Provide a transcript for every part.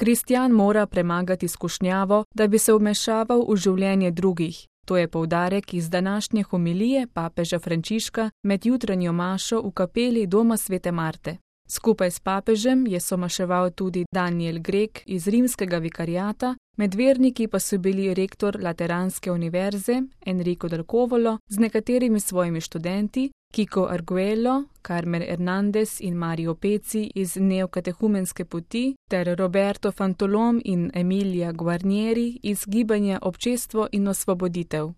Kristjan mora premagati skušnjavo, da bi se vmešaval v življenje drugih. To je poudarek iz današnje homilije papeža Frančiška med jutranjo mašo v kapeli doma svete Marte. Skupaj s papežem je somaševal tudi Daniel Grek iz rimskega vikariata, med verniki pa so bili rektor Lateranske univerze Enrico del Covolo z nekaterimi svojimi študenti, Kiko Arguello, Carmen Hernandez in Mario Peci iz neokatehumenske poti ter Roberto Fantolom in Emilia Guarnieri iz gibanja Občestvo in osvoboditev.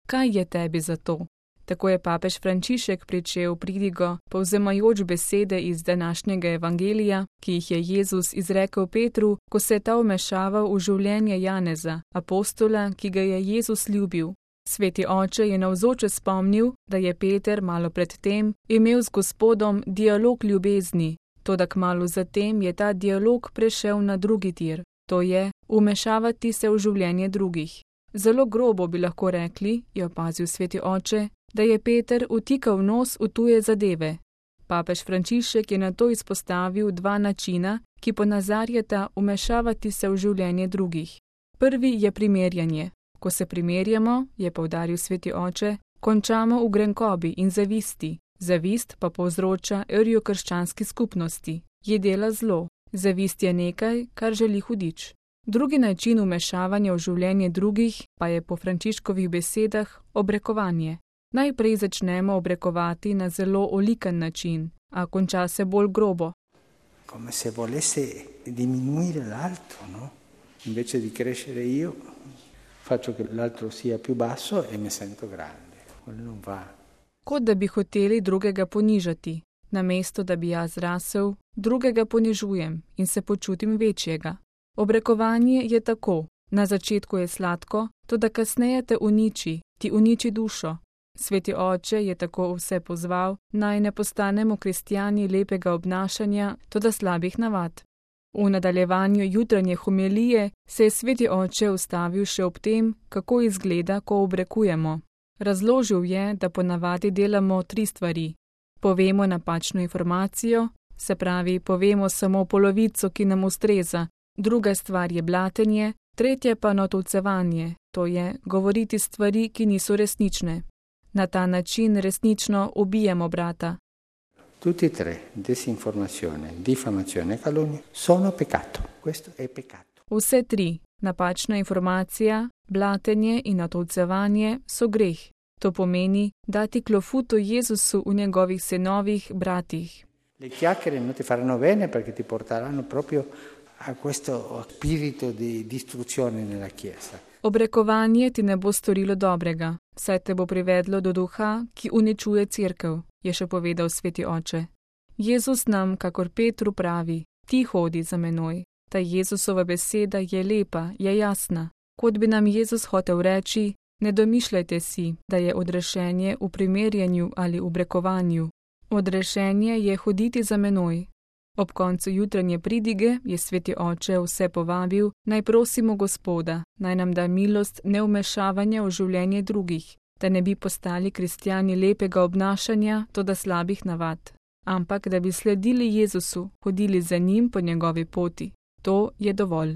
Kaj je tebi za to? Tako je papež Frančišek pričel pridigo, povzemajoč besede iz današnjega evangelija, ki jih je Jezus izrekel Petru, ko se je ta vmešaval v življenje Janeza, apostola, ki ga je Jezus ljubil. Sveti oče je navzoče spomnil, da je Peter malo pred tem imel z Gospodom dialog ljubezni, toda kmalu zatem je ta dialog prešel na drugi tir, to je vmešavati se v življenje drugih. Zelo grobo bi lahko rekli, je opazil sveti oče, da je Peter vtikal nos v tuje zadeve. Papež Frančišek je nato izpostavil dva načina, ki ponazarjata vmešavati se v življenje drugih. Prvi je primerjanje. Ko se primerjamo, je poudaril sveti oče, končamo v grenkobi in zavisti. Zavist pa povzroča rjo krščanski skupnosti. Je dela zlo. Zavist je nekaj, kar želi hudič. Drugi način vmešavanja v življenje drugih pa je po Frančiškovih besedah obrekovanje. Najprej začnemo obrekovati na zelo olikan način, a konča se bolj grobo. Come se volesse diminuire l'altro, no? Invece di crescere io, faccio che l'altro sia più basso e mi sento grande. Quello non va. Kot da bi hoteli drugega ponižati. Namesto da bi jaz rasel, drugega ponižujem in se počutim večjega. Obrekovanje je tako. Na začetku je sladko, toda kasneje te uniči, ti uniči dušo. Sveti oče je tako vse pozval, naj ne postanemo kristjani lepega obnašanja, toda slabih navad. V nadaljevanju jutranje homilije se je sveti oče ustavil še ob tem, kako izgleda, ko obrekujemo. Razložil je, da ponavadi delamo 3 stvari. Povemo napačno informacijo, se pravi, povemo samo polovico, ki nam ustreza. Druga stvar je blatenje, tretja pa natolcevanje, to je govoriti stvari, ki niso resnične. Na ta način resnično ubijamo brata. Tutti e 3, disinformazione, diffamazione e calunnia, sono peccato. Questo è peccato. Vse 3, napačna informacija, blatenje in natolcevanje so greh. To pomeni dati klofuto Jezusu v njegovih sinovih, bratih. Le chiacchiere non ti faranno bene perché ti porteranno proprio a questo spirito di distruzione nella Chiesa. Obrekovanje ti ne bo storilo dobrega, saj te bo privedlo do duha, ki uničuje cerkev, je še povedal sveti oče. Jezus nam, kakor Petru pravi, ti hodi za menoj. Ta Jezusova beseda je lepa, je jasna. Kot bi nam Jezus hotel reči, ne domišljajte si, da je odrešenje v primerjanju ali obrekovanju. Odrešenje je hoditi za menoj. Ob koncu jutranje pridige je sveti oče vse povabil, naj prosimo Gospoda, naj nam da milost nevmešavanja v življenje drugih, da ne bi postali kristjani lepega obnašanja, toda slabih navad, ampak da bi sledili Jezusu, hodili za njim po njegovi poti. To je dovolj.